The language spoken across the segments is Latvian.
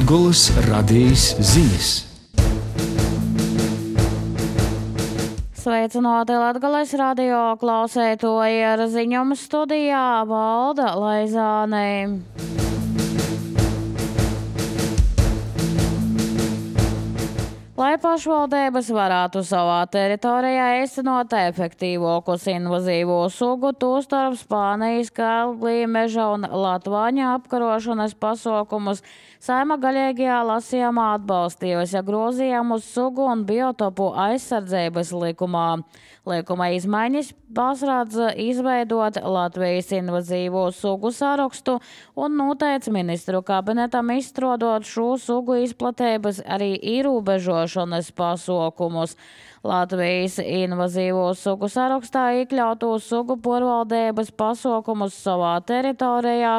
Latgolas radijas ziņas. Sveicināti Latgales radio klausētoji, ar ziņumu studijā Valda Laizāne. Lai pašvaldības varētu savā teritorijā īstenot efektīvākus invazīvo sugu, tostarp Spānijas, Kalglī, meža un latvāņa apkarošanas pasākumus, Saeima galīgajā lasījumā atbalstījusi grozījumus sugu un biotopu aizsardzības likumā. Likuma izmaiņas pasrādz izveidot Latvijas invazīvo sugu sarakstu un noteica ministru kabinetam izstrādāt šo sugu izplatības arī ierobežošanas pasākumus. Latvijas invazīvo sugu sarakstā iekļautu sugu pārvaldības pasākumus savā teritorijā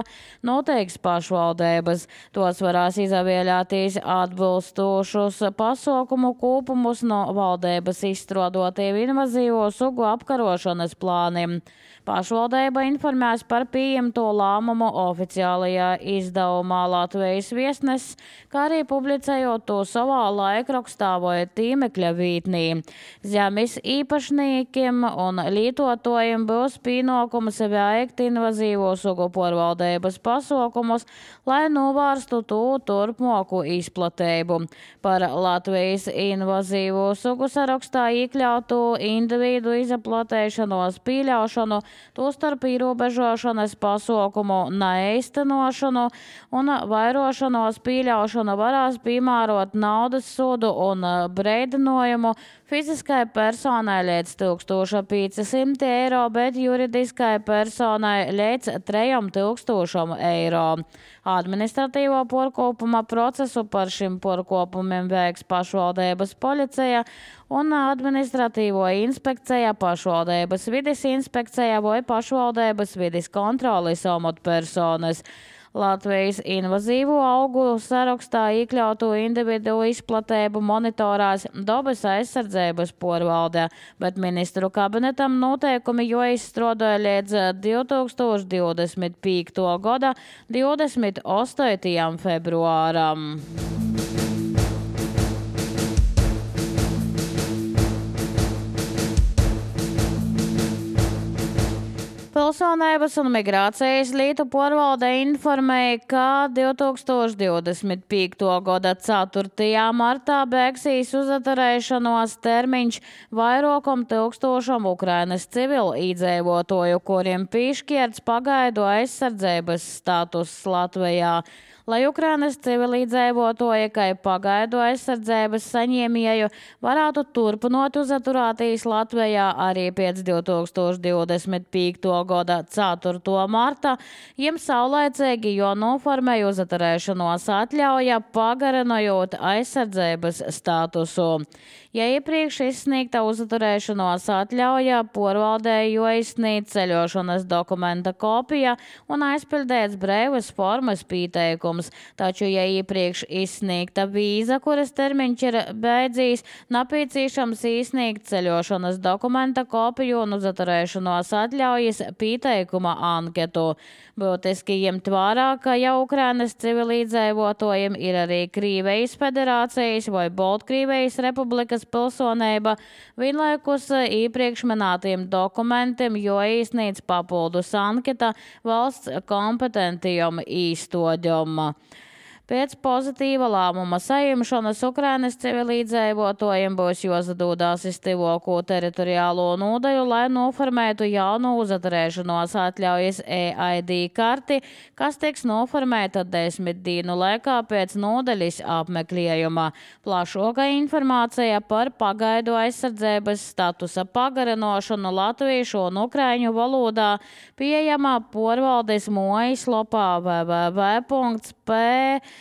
noteiks pašvaldības. Tos varēs izvēlēties atbilstošus pasākumu kopumus no valdības izstrādātiem invazīvo sugu apkarošanas plāniem. Pašvaldība informēs par pieņemto lēmumu oficiālajā izdevumā Latvijas Viesnesis, kā arī publicējot to savā laikrakstā vai tīmekļa vietnī. Zemes īpašniekiem un lietotājiem būs pienākums veikt invazīvo sugu pārvaldības pasākumus, lai novērstu to turpmāku izplatību. Par Latvijas invazīvo sugu sarakstā iekļautu individu izplatēšanos pieļaušanu, tostarp ierobežošanas pasākumu neīstenošanu un vairošanos pieļaušanu varēs piemērot naudas sodu un brīdinājumu fiziskai personai līdz 1500 eiro, bet juridiskai personai līdz 3000 eiro. Administratīvo pārkāpuma procesu par šim pārkāpumiem veiks pašvaldības policija un administratīvo inspekcija, pašvaldības vides inspekcija vai pašvaldības vides kontroles amatpersonas. Latvijas invazīvo augu sarakstā iekļautu individu izplatību monitorās dabas aizsardzības pārvalde, bet ministru kabinetam noteikumi jau izstrādāja līdz 2025. gada 28. februāram. Pilsonības un migrācijas lietu pārvalde informēja, ka 2025. gada 4. martā beigsies uzturēšanos termiņš vairākam tūkstošam Ukrainas civilu iedzīvotāju, kuriem piešķirts pagaidu aizsardzības status Latvijā. Lai Ukrainas civilizēvotāji, kā pagaidu aizsardzības saņēmēju, varētu turpināt uzturēties Latvijā arī pēc 2025. gada 4. marta, jiem saulaicīgi jānoformē uzturēšanos atļauja, pagarinojot aizsardzības statusu. Ja iepriekš izsniegta uzturēšanos atļauja, pārvaldei jāizsniedz ceļošanas dokumenta kopija un aizpildēts brīvas formas pieteikums, taču, ja iepriekš izsniegta vīza, kuras termiņš ir beidzīs, nepieciešams izsniegt ceļošanas dokumenta kopiju un uzturēšanos atļaujas pieteikuma anketu. Būtiski ņemt vērā, ka jau Ukrainas civilizēvotājiem ir arī Krievijas federācijas vai Baltkrievijas republikas pilsonība, vienlaikus iepriekš minētiem dokumentiem, jo iesniedz papildus anketa valsts kompetentijam īstodjam. Pēc pozitīva lēmuma saņemšanas Ukrainas civilizēvotājiem būs jāsadodās iztivoko teritoriālo nodaļu, lai noformētu jaunu uzturēšanos atļaujas EID karti, kas tiks noformēta 10 dienu laikā pēc nodaļas apmeklējuma. Plašāka informācija par pagaidu aizsardzības statusa pagarinošanu latviešu un ukraiņu valodā pieejama pārvaldes mājaslapā www.mlp.gov.lv.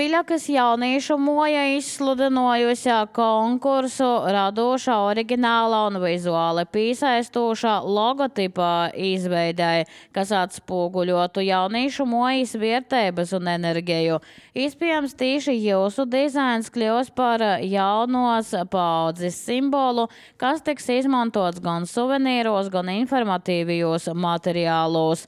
Viļakas jauniešu moja izsludinājusi konkursu radošā, oriģināla un vizuāli pīsaistošā logotipa izveidai, kas atspoguļotu jauniešu mojas vērtības un enerģiju. Iespējams, tieši jūsu dizains kļūs par jaunos paaudzes simbolu, kas tiks izmantots gan suvenīros, gan informatīvajos materiālos.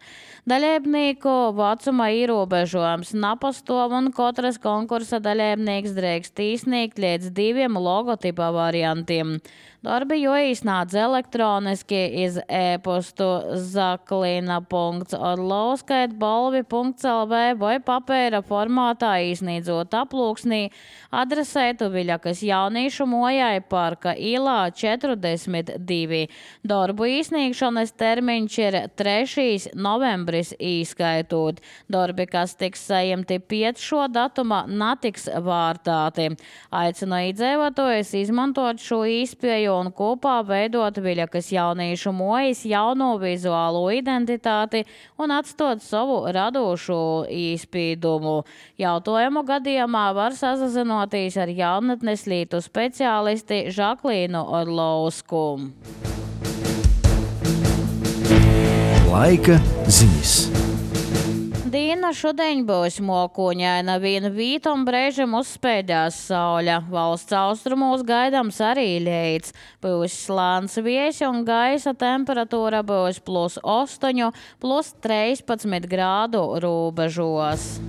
Dalībnieku vecuma ierobežojums napastāv un katrs konkursa dalībnieks drīkst izsniegt līdz 2 logotipa variantiem. Darbi jāizsniedz elektroniski iz e-postu zaklina.orlovskaitbalvi.lv vai papēra formātā izsniedzot aplūksnī adresētu Viļakas jauniešu mojai Parka ielā 42. Darbu izsniegšanas termiņš ir 3. novembris īskaitot. Darbi, kas tiks saimti pēc šo datuma, netiks vārtāti. Aicinu iedzīvotājus izmantot šo iespēju un kopā veidot Viļakas jauniešu mojas jauno vizuālo identitāti un atstot savu radošu izpīdumu. Jautājumu gadījumā var sazinoties ar jaunatnes lietu speciālisti Žaklīnu Orlovsku. Laika ziņas. Diena šodien būs mokuņaina, vienu vītom brēžam uzspēdās sauļa. Valsts austrumos gaidāms arī lietus. Būs slāns viejs un gaisa temperatūra būs +8, +13 grādu robežos.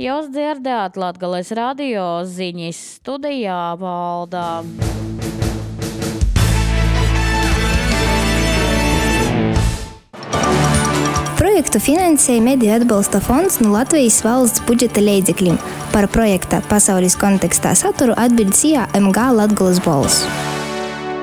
Jūs dzirdējāt Latgales radio ziņas, studijā Valdā. Projektu finansēja Mediju atbalsta fonds no Latvijas valsts budžeta līdzekļiem. Par projekta pasaules kontekstā saturu atbild SIA MG Latgales balss.